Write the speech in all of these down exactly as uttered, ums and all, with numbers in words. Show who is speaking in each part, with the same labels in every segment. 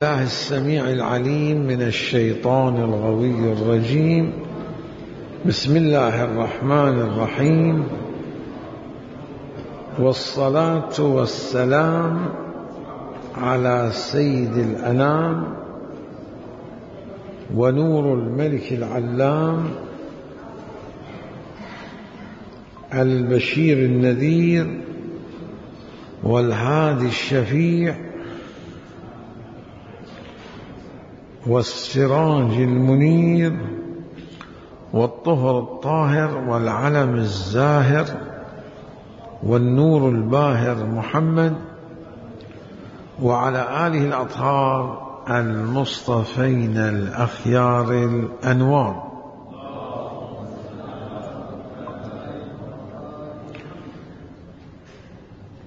Speaker 1: الله السميع العليم من الشيطان الغوي الرجيم. بسم الله الرحمن الرحيم، والصلاة والسلام على سيد الأنام ونور الملك العلام البشير النذير والهادي الشفيع والسراج المنير والطهر الطاهر والعلم الزاهر والنور الباهر محمد وعلى آله الأطهار المصطفين الأخيار الأنوار.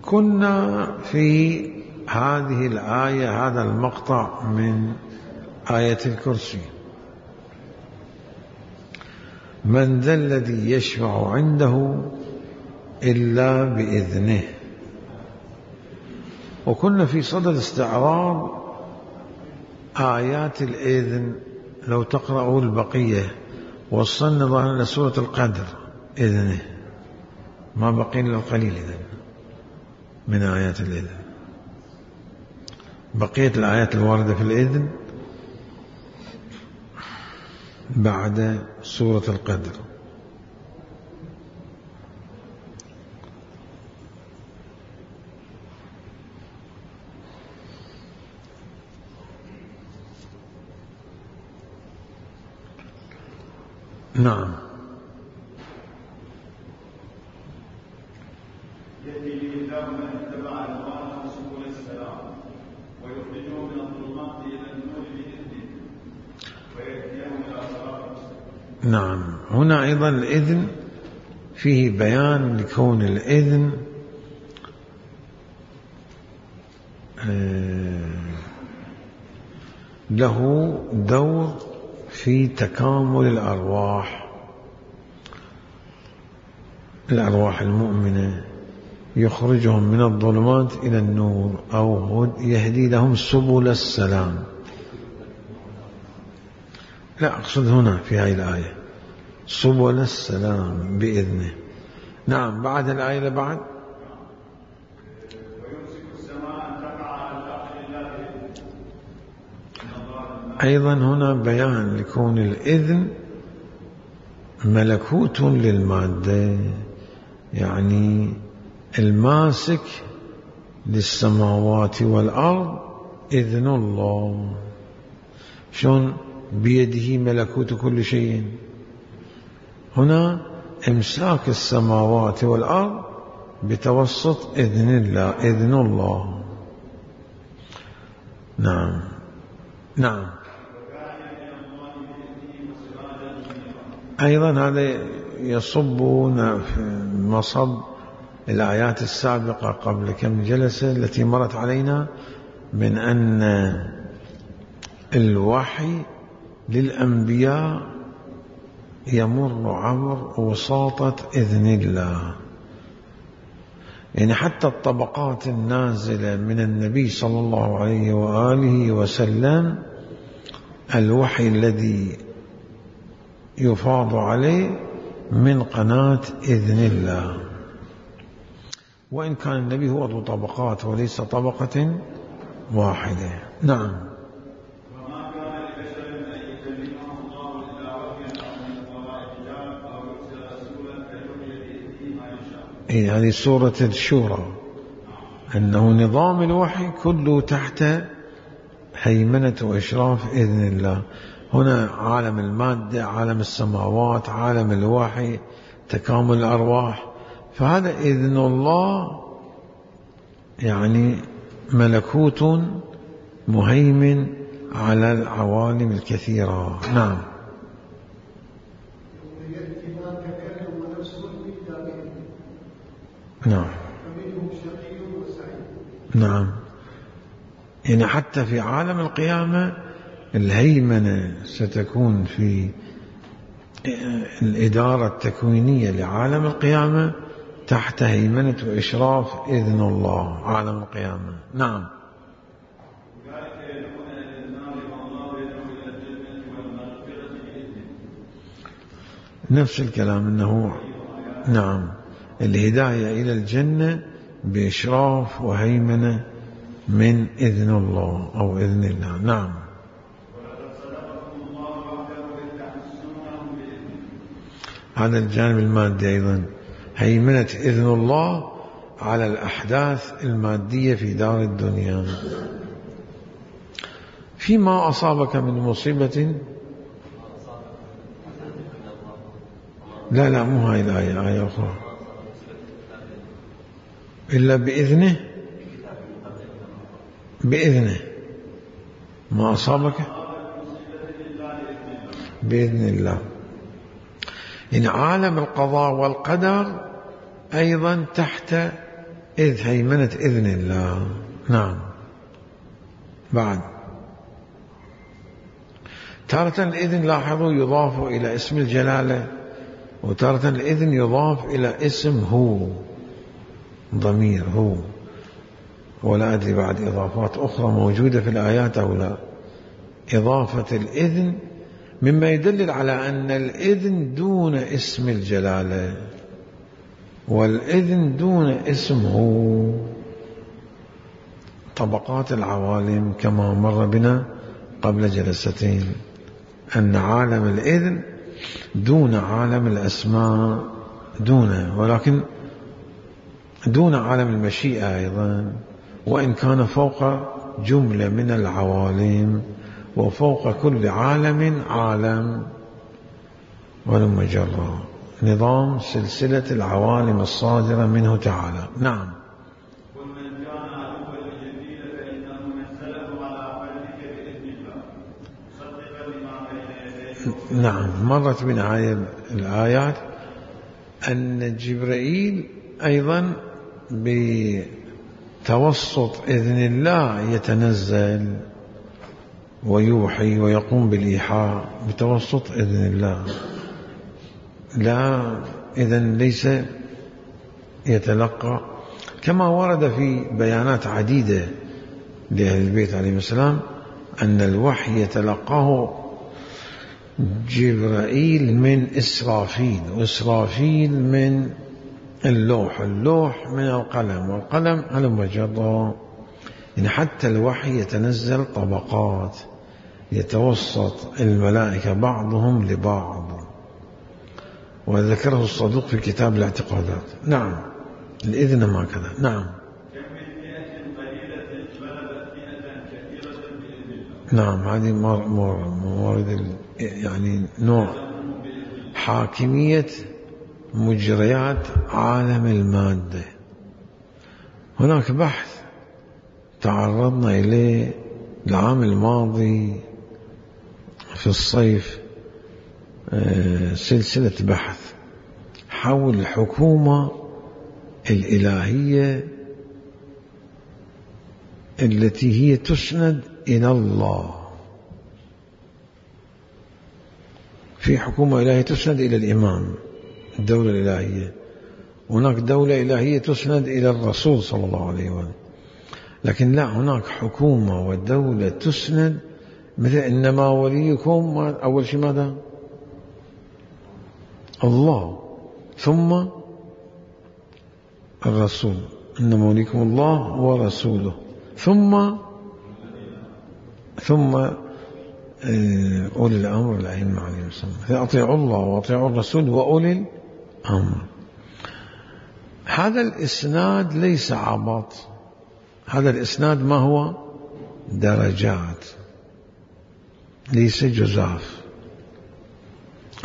Speaker 1: كنا في هذه الآية، هذا المقطع من آية الكرسي: من ذا الذي يشفع عنده إلا بإذنه. وكنا في صدد استعراض آيات الإذن. لو تقرأوا البقية وصلنا ظهرنا لسورة القدر إذنه، ما بقي إلا القليل إذن من آيات الإذن. بقية الآيات الواردة في الإذن بعد سورة القدر. نعم.
Speaker 2: يهدي به الله من اتبع رضوانه سبل السلام ويخرجه من الظلمات الى النور باذنه ويهديهم الى صراط مستقيم.
Speaker 1: نعم. هنا ايضا الاذن فيه بيان لكون الاذن له دور في تكامل الارواح. الارواح المؤمنه يخرجهم من الظلمات إلى النور أو يهدي لهم سبل السلام. لا أقصد هنا في هذه الآية سبل السلام بإذنه. نعم. بعد الآية اللي بعد:
Speaker 2: ويمسك السماء أن تقع على الأرض إلا بإذنه.
Speaker 1: أيضا هنا بيان لكون الإذن ملكوت للمادة، يعني الماسك للسماوات والأرض إذن الله. شلون بيده ملكوت كل شيء؟ هنا إمساك السماوات والأرض بتوسط إذن الله، إذن الله. نعم. نعم. أيضا هذا يصبون في مصب الآيات السابقة قبل كم جلسة التي مرت علينا من أن الوحي للأنبياء يمر عبر وساطة إذن الله. يعني حتى الطبقات النازلة من النبي صلى الله عليه وآله وسلم، الوحي الذي يفاض عليه من قناة إذن الله، وإن كان النبي هو ذو طبقات وليس طبقة واحدة. نعم.
Speaker 2: وما كان لبشر أن يكلمه الله إلا وحيا أو من وراء حجاب أو يرسل رسولا فيوحي بإذنه ما يشاء.
Speaker 1: إيه، هذه سورة الشورى، أنه نظام الوحي كله تحت هيمنة وإشراف إذن الله. هنا عالم المادة، عالم السماوات، عالم الوحي، تكامل الأرواح. فهذا إذن الله يعني ملكوت مهيمن على العوالم الكثيرة. نعم. نعم. نعم. يعني حتى في عالم القيامة الهيمنة ستكون في الإدارة التكوينية لعالم القيامة تحت هيمنة وإشراف إذن الله عالم القيامة. نعم.
Speaker 2: أولئك يدعون
Speaker 1: نفس الكلام أنه نعم الهداية إلى الجنة بإشراف وهيمنة من إذن الله أو إذن الله. نعم. هذا الجانب المادي أيضا، هيمنة إذن الله على الأحداث المادية في دار الدنيا. فيما أصابك من مصيبة، لا لا مو هاي الآية، آية أخرى، إلا بإذنه، بإذنه ما أصابك بإذن الله. إن عالم القضاء والقدر أيضا تحت إذ هيمنة إذن الله. نعم. بعد تارة الإذن لاحظوا يضاف إلى اسم الجلالة، وتارة الإذن يضاف إلى اسم هو، ضمير هو، ولا أدري بعد إضافات أخرى موجودة في الآيات أو لا. إضافة الإذن مما يدلل على أن الإذن دون اسم الجلالة، والإذن دون اسم هو. طبقات العوالم كما مر بنا قبل جلستين، أن عالم الإذن دون عالم الأسماء، دونه، ولكن دون عالم المشيئة أيضا، وإن كان فوق جملة من العوالم، وفوق كل عالم عالم. ولم جرى نظام سلسلة العوالم الصادرة منه تعالى. نعم.
Speaker 2: ومن كان عدوا لجبريل فإنه نزله على قلبك بإذن الله مصدقا لما بين يديه.
Speaker 1: نعم. مرت بنا هذه الآيات أن جبريل أيضا بتوسط إذن الله يتنزل ويوحي ويقوم بالإيحاء بتوسط إذن الله، لا إذن ليس يتلقى، كما ورد في بيانات عديدة لأهل البيت عليهم السلام أن الوحي يتلقاه جبرائيل من إسرافيل، وإسرافيل من اللوح، اللوح من القلم، والقلم على مجرد. يعني حتى الوحي يتنزل طبقات، يتوسط الملائكة بعضهم لبعض، وذكره الصدوق في كتاب الاعتقادات. نعم. الإذن ما كذا. نعم. نعم. هذه موارد يعني نوع حاكمية مجريات عالم المادة. هناك بحث تعرضنا إليه العام الماضي في الصيف، سلسلة بحث حول الحكومة الإلهية التي هي تسند إلى الله. في حكومة إلهية تسند إلى الإمام، الدولة الإلهية، هناك دولة إلهية تسند إلى الرسول صلى الله عليه وسلم، لكن لا، هناك حكومة ودولة تسند، مثل إنما وليكم أول شيء ماذا؟ الله، ثم الرسول، إنما وليكم الله ورسوله، ثم ثم أولي الأمر الأئمة عليهم السلام، فأطيعوا الله وأطيعوا الرسول وأولي الأمر. هذا الإسناد ليس عبط، هذا الإسناد ما هو؟ درجات، ليس جزاف.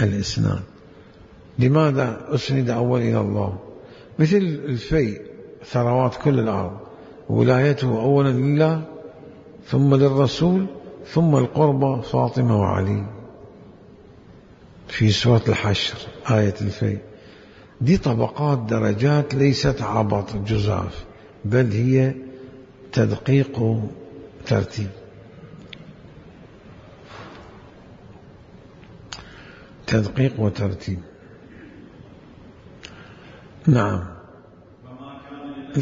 Speaker 1: الإسناد لماذا أسند أول إلى الله؟ مثل الفيء، ثروات كل الأرض، ولايته أولا لله، ثم للرسول، ثم القربى فاطمة وعلي في سورة الحشر آية الفيء. دي طبقات درجات، ليست عبط جزاف، بل هي تدقيق ترتيب. تدقيق وترتيب. نعم.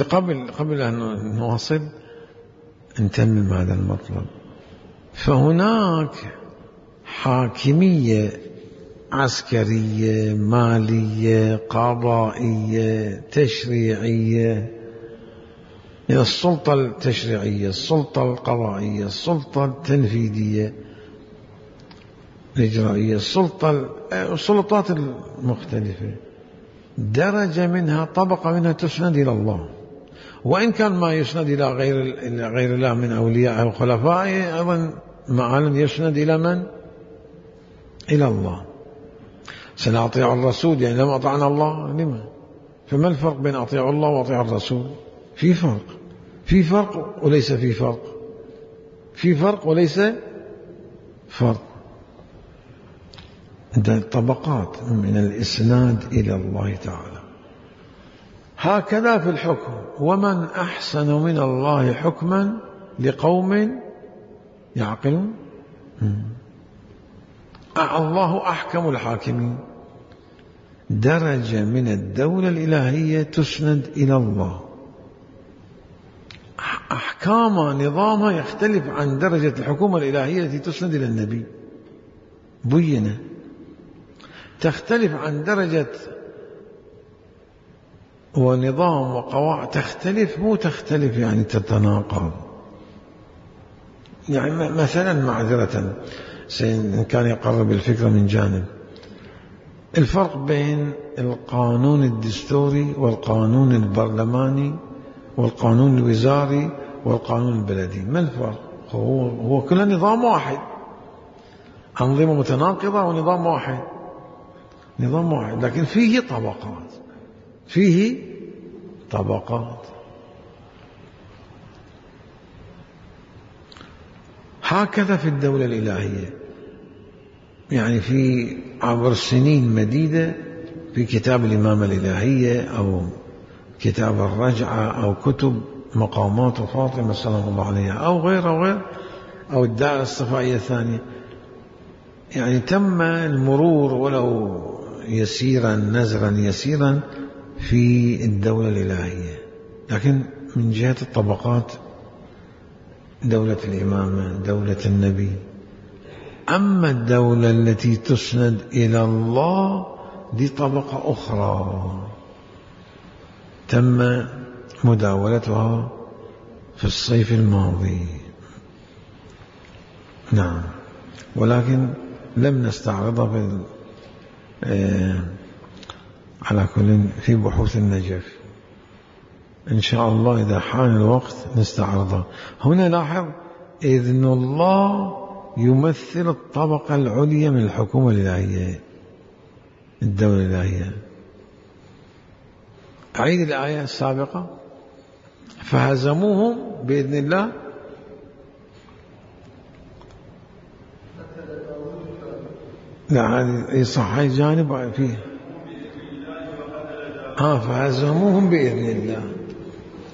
Speaker 1: قبل قبل أن نواصل نتمم هذا المطلب. فهناك حاكمية عسكرية، مالية، قضائية، تشريعية. السلطة التشريعية، السلطة القضائية، السلطة التنفيذية، الإجرائية، السلطة السلطات المختلفة، درجة منها، طبقة منها تسند إلى الله، وإن كان ما يسند إلى غير إلى غير الله من أوليائه وخلفائه، أيضا معالم يسند إلى من؟ إلى الله. سنطيع الرسول، يعني لما أطعنا الله لما؟ فما الفرق بين أطيع الله وأطيع الرسول؟ في فرق، في فرق وليس في فرق، في فرق وليس فرق. طبقات من الإسناد إلى الله تعالى. هكذا في الحكم، ومن أحسن من الله حكما لقوم يعقلون. الله أحكم الحاكمين. درجة من الدولة الإلهية تسند إلى الله، أحكامها نظامها يختلف عن درجة الحكومة الإلهية التي تسند إلى النبي، بينة تختلف عن درجة ونظام وقواعد، تختلف، مو تختلف يعني تتناقض. يعني مثلا معذرة إن كان يقرب الفكرة من جانب، الفرق بين القانون الدستوري والقانون البرلماني والقانون الوزاري والقانون البلدي، ما الفرق؟ هو, هو كله نظام واحد، أنظمة متناقضة ونظام واحد، نظام واحد، لكن فيه طبقات، فيه طبقات. هكذا في الدولة الإلهية، يعني في عبر سنين مديدة في كتاب الإمامة الإلهية أو كتاب الرجعة أو كتب مقامات فاطمة سلام الله عليها أو غير أو غير أو الدائرة الصفائية الثانية، يعني تم المرور ولو يسيرا نزرا يسيرا في الدولة الإلهية، لكن من جهة الطبقات دولة الإمامة، دولة النبي. أما الدولة التي تسند إلى الله دي طبقة أخرى تم مداولتها في الصيف الماضي، نعم، ولكن لم نستعرضها بال... آه... على كل في بحوث النجف، إن شاء الله إذا حان الوقت نستعرضها. هنا لاحظ إذن الله يمثل الطبقة العليا من الحكومة الإلهية، الدولة الإلهية. أعيد الآية السابقة، فهزموهم بإذن الله. لا هذه صح، هاي جانب فيه ها فهزموهم بإذن الله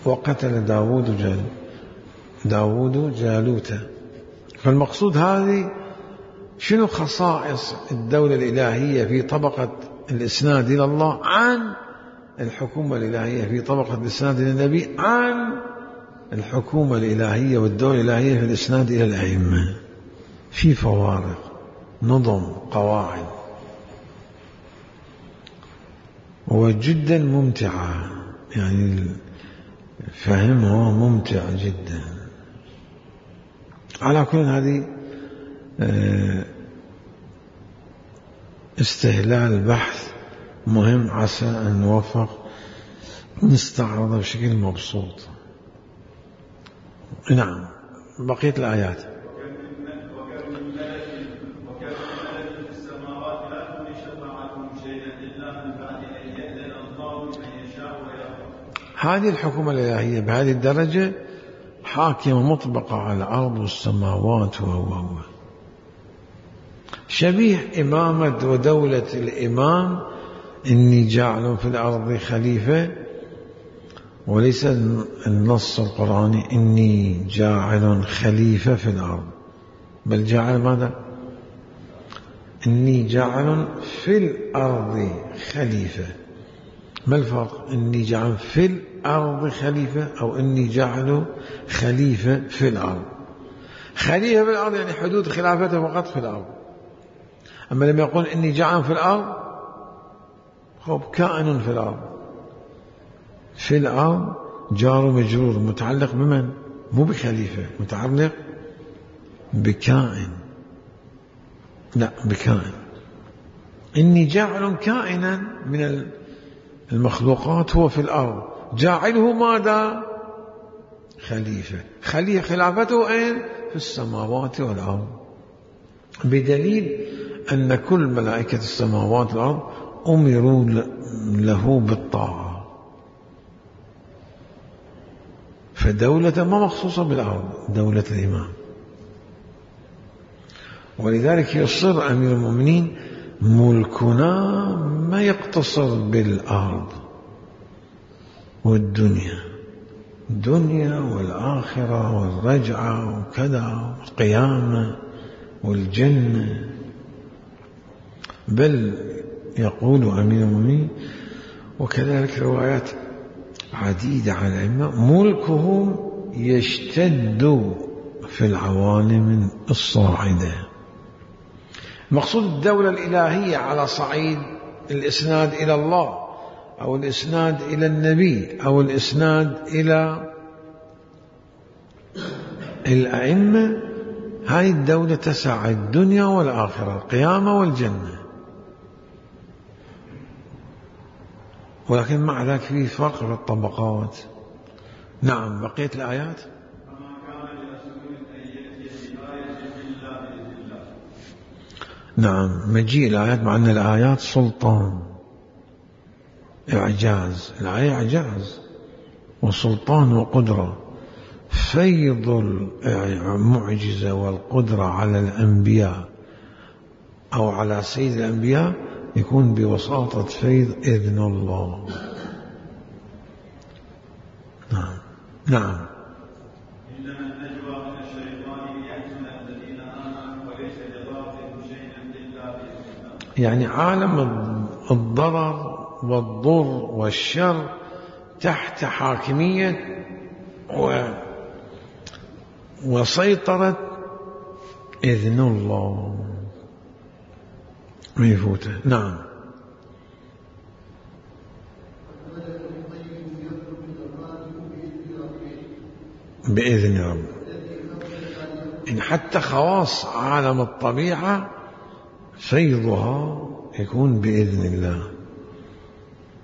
Speaker 1: وقتل داود جالوت داود جالوت. فالمقصود هذه شنو خصائص الدولة الإلهية في طبقة الإسناد إلى الله عن الحكومة الإلهية في طبقة الإسناد إلى النبي عن الحكومة الإلهية والدولة الإلهية في الإسناد إلى الأئمة. في فوارق، نظم، قواعد، وجدا ممتعة، يعني فهمه ممتع جدا. على كل هذه استهلال بحث مهم، عسى أن نوفق نستعرضه بشكل مبسوط. نعم، بقية الآيات. هذه الحكومة الإلهية بهذه الدرجة حاكمة مطبقة على الأرض والسماوات، وهو شبيه إمامة ودولة الإمام، إني جاعل في الأرض خليفة، وليس النص القرآني إني جاعل خليفة في الأرض، بل جاعل ماذا؟ إني جاعل في الأرض خليفة. ما الفرق؟ إني جاعل في الأرض خليفة أو إني جاعل خليفة في الأرض. خليفة في الأرض يعني حدود خلافته فقط في الأرض، أما لما يقول إني جاعل في الأرض، خب كائن في الأرض، في الأرض جار مجرور متعلق بمن؟ مو بخليفة، متعلق بكائن، لا بكائن. إني جاعل كائنا من المخلوقات هو في الأرض، جاعله ماذا؟ خليفة. خليفة خلافته أين؟ في السماوات والأرض، بدليل أن كل ملائكة السماوات والأرض أمروا له بالطاعة، فدولة ما مخصوصة بالأرض، دولة الإمام. ولذلك يصر أمير المؤمنين ملكنا ما يقتصر بالأرض والدنيا، الدنيا والآخرة والرجعة وكذا والقيامة والجنة، بل يقول أمير المؤمنين وكذلك روايات عديدة عن الأئمة ملكه يشتد في العوالم الصاعدة. مقصود الدولة الإلهية على صعيد الإسناد إلى الله أو الإسناد إلى النبي أو الإسناد إلى الأئمة، هذه الدولة تسع الدنيا والآخرة، القيامة والجنة. ولكن مع ذلك في فرق في الطبقات. نعم، بقية الآيات. نعم، مجيء الآيات مع أن الآيات سلطان، إعجاز، الآية إعجاز وسلطان وقدرة. فيض المعجزة والقدرة على الأنبياء أو على سيد الأنبياء يكون بوساطة فيض إذن الله. نعم نعم.
Speaker 2: إنما النجوى من الشيطان ليحزن الذين آمنوا وليس لضارهم شيئا إلا بإذن الله.
Speaker 1: يعني عالم الضرر والضر والشر تحت حاكمية و وسيطرة إذن الله ما يفوته. نعم. بإذن رب. إن حتى خواص عالم الطبيعة فيضها يكون بإذن الله.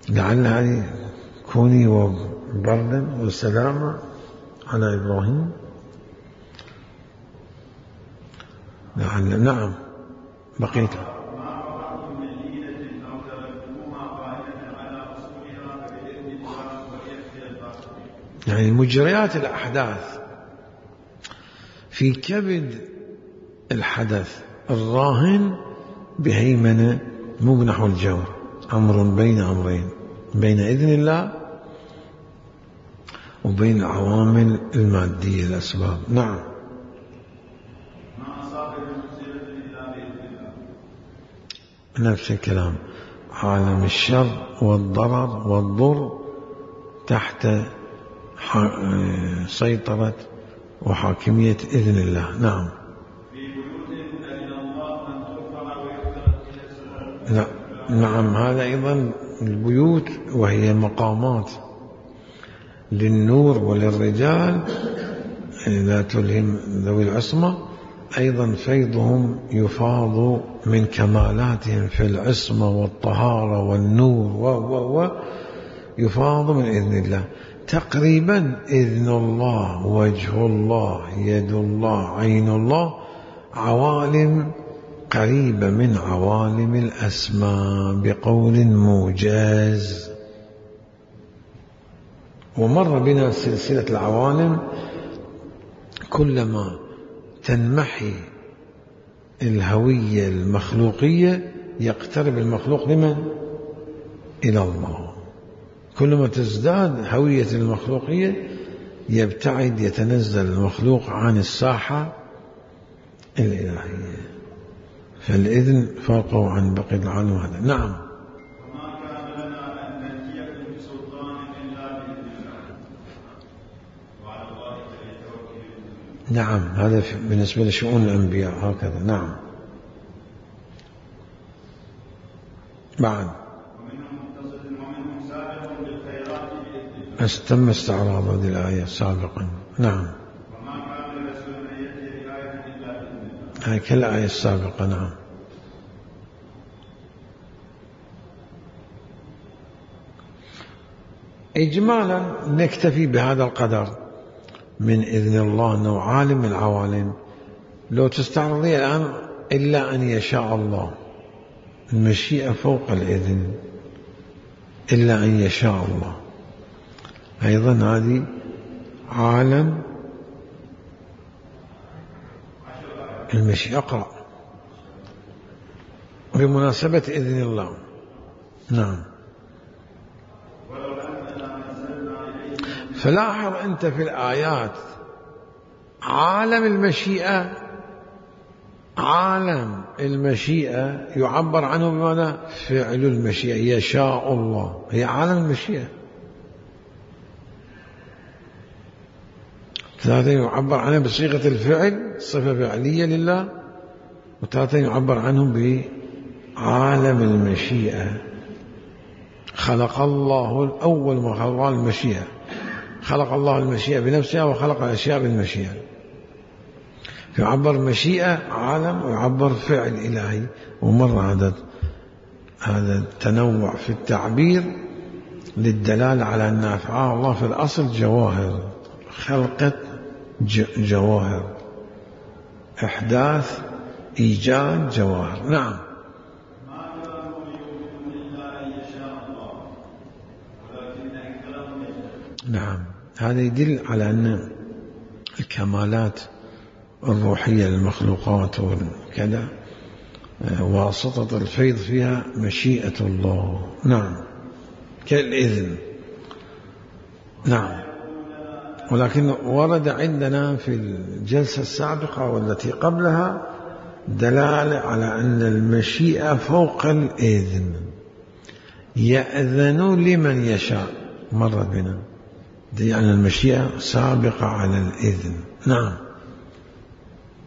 Speaker 1: لعل هذه كوني وبردا وسلاما على إبراهيم. لعل. نعم، بقيت. يعني مجريات الأحداث في كبد الحدث الراهن بهيمنة مو بنحو الجور، أمر بين أمرين، بين إذن الله وبين العوامل المادية الأسباب. نعم. نفس الكلام، عالم الشر والضرر والضر تحت سيطرة وحاكمية إذن الله. نعم. نعم، هذا أيضا البيوت وهي مقامات للنور وللرجال لا تلهم ذوي العصمة، أيضا فيضهم يفاض من كمالاتهم في العصمة والطهارة والنور و و و يفاض من إذن الله. تقريبا إذن الله، وجه الله، يد الله، عين الله، عوالم قريبة من عوالم الأسماء بقول موجز. ومر بنا سلسلة العوالم، كلما تنمحي الهوية المخلوقية يقترب المخلوق لمن؟ إلى الله. كلما تزداد هوية المخلوقية يبتعد، يتنزل المخلوق عن الساحة الإلهية. فالإذن فرقه عن بقية العالم هذا. نعم.
Speaker 2: وما كان لنا أن نأتيكم بسلطان إلا بإذن الله وعلى الله فليتوكل.
Speaker 1: نعم، هذا بالنسبة لشؤون الأنبياء هكذا. نعم. بعد
Speaker 2: ومنهم مقتصد ومنهم سابق بالخيرات بإذن الله.
Speaker 1: استم استعراض هذه الآية سابقا. نعم.
Speaker 2: وما كان لرسول أن يأتي بآية إلا بإذن الله.
Speaker 1: هاي كالآية السابقة. نعم. إجمالا نكتفي بهذا القدر من إذن الله أنه عالم العوالم. لو تستعرضي الآن إلا أن يشاء الله، المشيئة فوق الإذن، إلا أن يشاء الله، أيضا هذه عالم المشيئة. أقرأ بمناسبة إذن الله. نعم. فلاحظ أنت في الآيات عالم المشيئة، عالم المشيئة يعبر عنه بماذا؟ فعل المشيئة، يشاء الله، هي عالم المشيئة. ثلاثة يعبر عنه بصيغة الفعل، صفة فعلية لله، وثلاثة يعبر عنه بعالم المشيئة. خلق الله الأول ما خلق المشيئة، خلق الله المشيئة بنفسها وخلق الأشياء بالمشيئة. يعبر مشيئة عالم ويعبر فعل إلهي. ومر هذا هذا التنوع في التعبير للدلالة على أن أفعال الله في الأصل جواهر، خلقة جواهر، إحداث إيجاد جواهر. نعم. نعم. هذا يدل على أن الكمالات الروحية للمخلوقات وكذا واسطة الفيض فيها مشيئة الله. نعم. كالإذن. نعم. ولكن ورد عندنا في الجلسة السابقة والتي قبلها دلالة على أن المشيئة فوق الإذن، يأذن لمن يشاء، مرت بنا، يعني المشيئة سابقة على الإذن. نعم.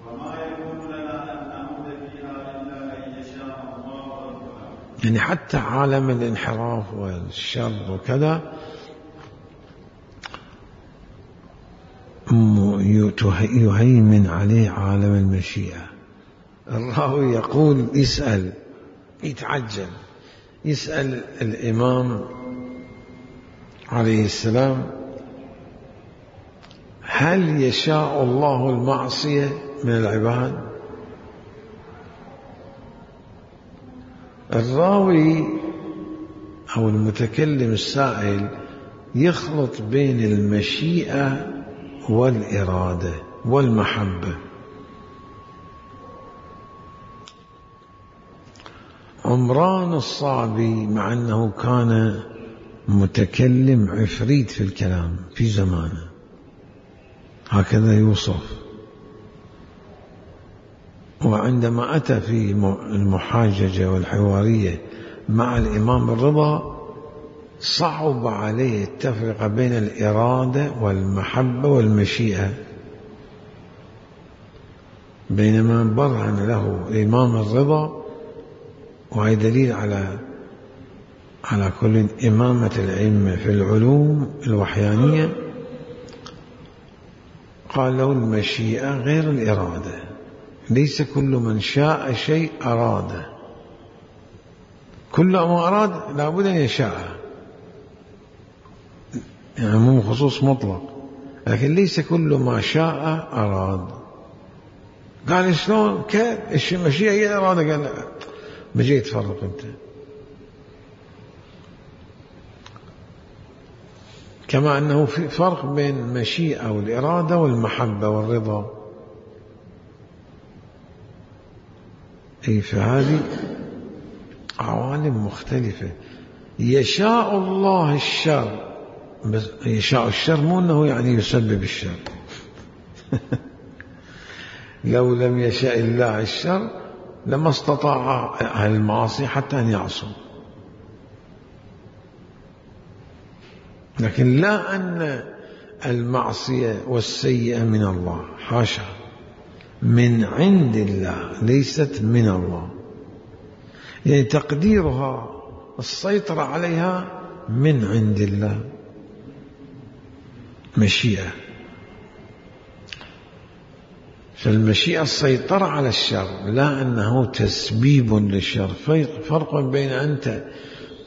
Speaker 2: وما يكون لنا أن نعود فيها إلا أن يشاء الله ربنا.
Speaker 1: يعني حتى عالم الانحراف والشر وكذا يهيمن عليه عالم المشيئة. الراوي يقول يسأل، يتعجل، يسأل الإمام عليه السلام: هل يشاء الله المعصية من العباد؟ الراوي أو المتكلم السائل يخلط بين المشيئة والإرادة والمحبة. عمران الصعبي مع أنه كان متكلم عفريت في الكلام في زمانه، هكذا يوصف، وعندما أتى في المحاججة والحوارية مع الإمام الرضا صعب عليه التفرقة بين الإرادة والمحبة والمشيئة، بينما برهن له الإمام الرضا، وهي دليل على على كل إمامة الأئمة في العلوم الوحيانية. قال له: المشيئة غير الإرادة، ليس كل من شاء شيء أراده، كل ما أراد لابد أن يشاء، يعني مو خصوص مطلق، لكن ليس كل ما شاء أراد. قال: شلون؟ كيف المشيئة هي الإرادة؟ قال: ما جاي تفرق أنت. كما أنه في فرق بين المشيئة والإرادة والمحبة والرضا. أي فهذه عوالم مختلفة. يشاء الله الشر، بس يشاء الشر مو أنه يعني يسبب الشر لو لم يشاء الله الشر لما استطاع أهل المعاصي حتى أن يعصوا، لكن لا أن المعصية والسيئة من الله، حاشا، من عند الله، ليست من الله. يعني تقديرها السيطرة عليها من عند الله، مشيئة. فالمشيئة السيطرة على الشر، لا أنه تسبيب للشر. فرق بين أنت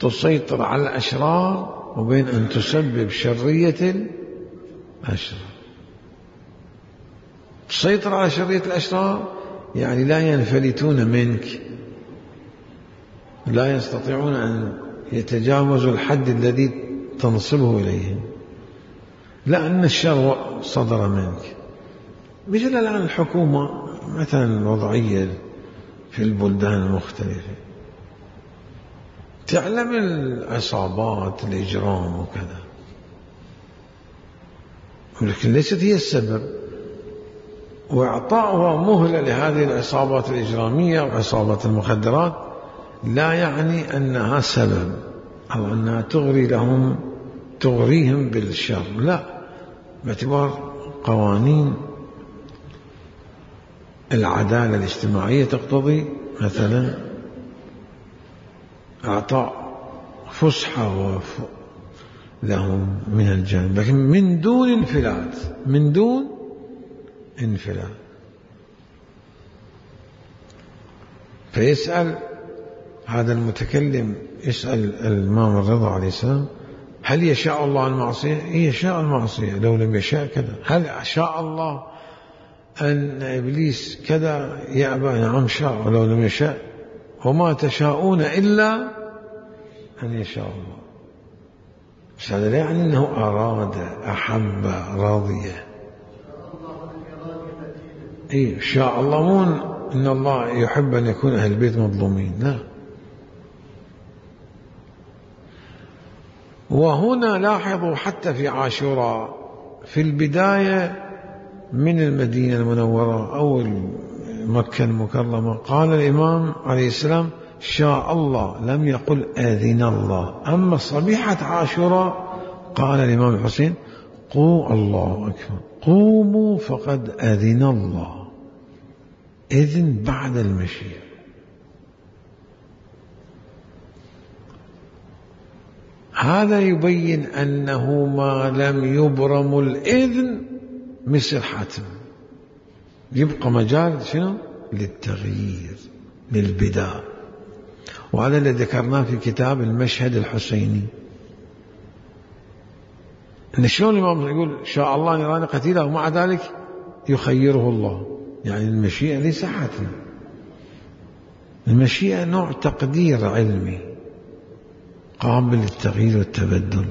Speaker 1: تسيطر على الأشرار وبين أن تسبب شرية الأشرار. تسيطر على شرية الأشرار يعني لا ينفلتون منك، لا يستطيعون أن يتجاوزوا الحد الذي تنصبه إليهم، لأن الشر صدر منك. مثل الآن الحكومة مثلا الوضعية في البلدان المختلفة تعلم العصابات الإجرام وكذا، ولكن ليست هي السبب. وإعطاؤها مهلة لهذه العصابات الإجرامية وعصابات المخدرات لا يعني أنها سبب أو أنها تغري لهم تغريهم بالشر، لا، باعتبار قوانين العدالة الاجتماعية تقتضي مثلا إعطاء فسحة لهم من الجانب، لكن من دون انفلات، من دون انفلات. فيسأل هذا المتكلم، يسأل الإمام الرضا عليه السلام: هل يشاء الله المعصية؟ يشاء المعصية، لو لم يشاء كذا. هل شاء الله أن إبليس كذا؟ يأبى. نعم شاء، ولو لم يشاء. وما تشاءون إلا أن يشاء الله. بس هذا لا يعني أنه أراد، أحب، رضي. إيه شاء الله، مو إن الله يحب أن يكون أهل البيت مظلومين، لا. وهنا لاحظوا حتى في عاشوراء في البداية من المدينة المنورة أو مكة المكرمة قال الإمام عليه السلام: شاء الله، لم يقل آذن الله. أما صبيحة عاشوراء قال الإمام الحسين: قوا الله أكبر، قوموا فقد أذن الله. إذن بعد المشيئة. هذا يبين أنه ما لم يبرم الإذن مثل حتم، يبقى مجال شنو؟ للتغيير، للبداء. وهذا اللي ذكرناه في كتاب المشهد الحسيني، أن شلون الإمام يقول شاء الله أن يراني قتيلا ومع ذلك يخيره الله. يعني المشيئة ليس حتم، المشيئة نوع تقدير علمي قابل للتغيير والتبدل.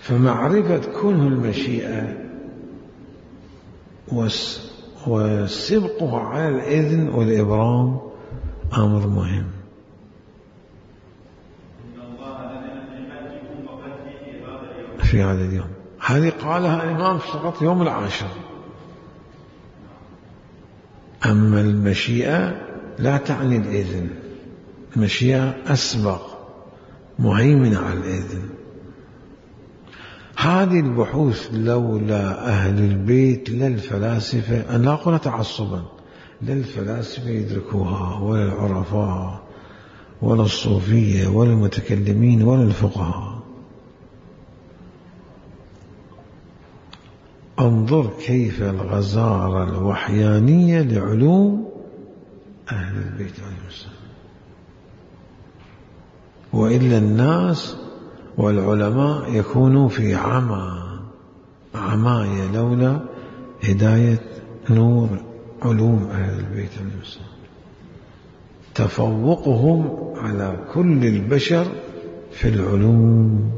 Speaker 1: فمعرفة كونه المشيئة وسبقها على الإذن والإبرام أمر مهم. في هذا اليوم، هذه قالها الإمام فقط يوم العاشر. أما المشيئة لا تعني الإذن، المشيئة أسبق، مهيمنة على الإذن. هذه البحوث لولا أهل البيت لا الفلاسفة، أنا لا أقول تعصبا، لا الفلاسفة يدركوها ولا العرفاء ولا الصوفية ولا المتكلمين ولا الفقهاء. انظر كيف الغزارة الوحيانية لعلوم أهل البيت عليهم السلام. وإلا الناس والعلماء يكونوا في عمى عماية لولا هداية نور علوم أهل البيت عليهم السلام، تفوقهم على كل البشر في العلوم.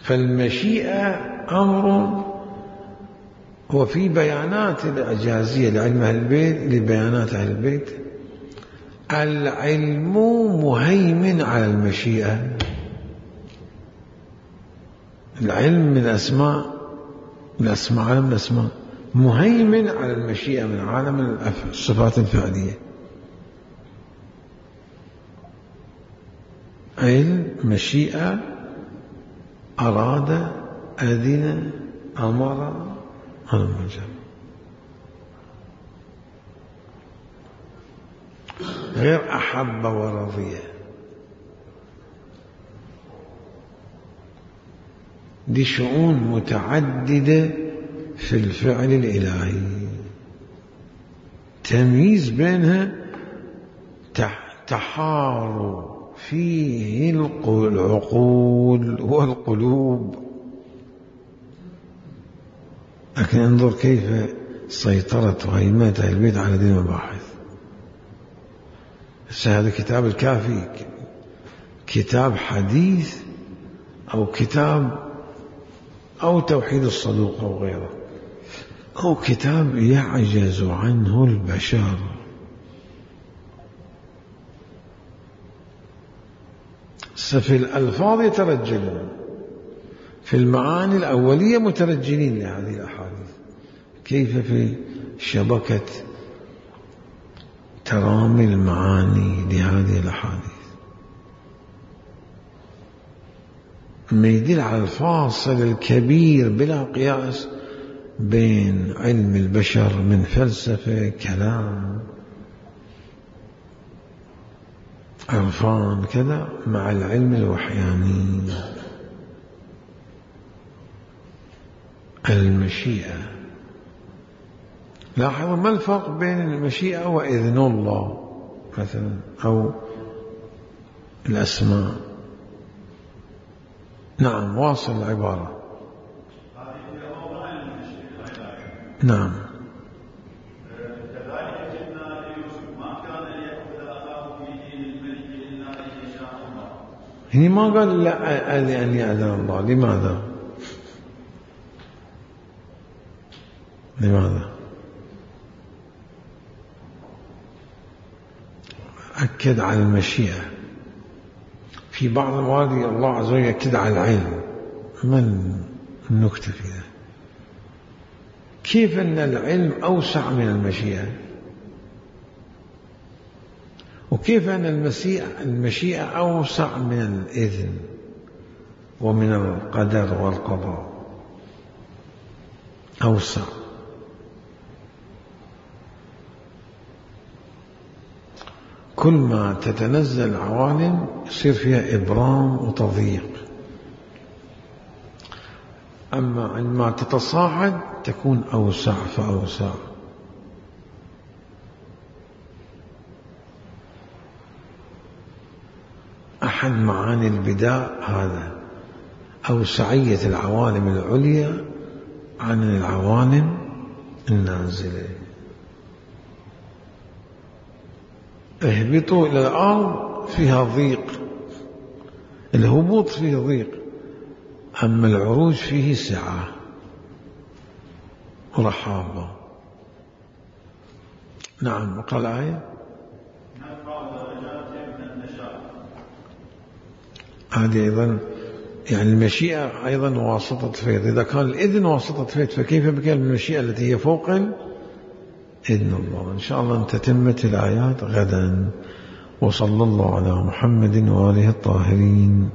Speaker 1: فالمشيئة أمر. وفي بيانات الإعجازية لعلم أهل البيت، لبيانات أهل البيت، العلم مهيمن على المشيئة. العلم من أسماء من أسماء عالم الأسماء، مهيمن على المشيئة من عالم الصفات الفعلية. علم، مشيئة، أراد، أذن، أمر، هذا المجال. غير أحب ورضي، دي شؤون متعددة في الفعل الإلهي، تمييز بينها تحار فيه العقول والقلوب. لكن انظر كيف سيطرت وهيمنة أهل البيت على دين المباحث. هذا كتاب الكافي كتاب حديث أو كتاب أو توحيد الصدوق أو غيره، أو كتاب يعجز عنه البشر. ففي الألفاظ يترجلون، في المعاني الأولية مترجلين لهذه الأحاديث. كيف في شبكة ترامي المعاني لهذه الأحاديث ما يدل على الفاصل الكبير بلا قياس بين علم البشر من فلسفة كلام عرفان كذا مع العلم الوحياني. المشيئة، لاحظوا ما الفرق بين المشيئة وإذن الله مثلا أو الأسماء؟ نعم، واصل العبارة. نعم.
Speaker 2: كذلك جئنا ليوسف ما كان ليأخذ أخاه في دين الملك إلا أن يشاء الله.
Speaker 1: هنا ما قال لا لأن يأذن الله. لماذا؟ لماذا؟ أكد على المشيئة. في بعض المواد الله عز وجل يأكد على العلم. ما النكتة في ذلك؟ كيف أن العلم أوسع من المشيئة؟ وكيف أن المشيئة, المشيئة أوسع من الإذن ومن القدر والقضاء؟ أوسع. كل ما تتنزل العوالم يصير فيها إبرام وتضييق، أما عندما تتصاعد تكون أوسع فأوسع. أحد معاني البداء هذا، أوسعية العوالم العليا عن العوالم النازلة. اهبطوا إلى الأرض فيها ضيق، الهبوط فيه ضيق، أما العروج فيه سعة ورحابة. نعم. وقال آية هذه أيضا يعني المشيئة أيضا واسطة فيض. إذا كان الإذن واسطة فيض فكيف بكان المشيئة التي هي فوق إذن الله؟ إن شاء الله تتمة الآيات غدا. وصلى الله على محمد وآله الطاهرين.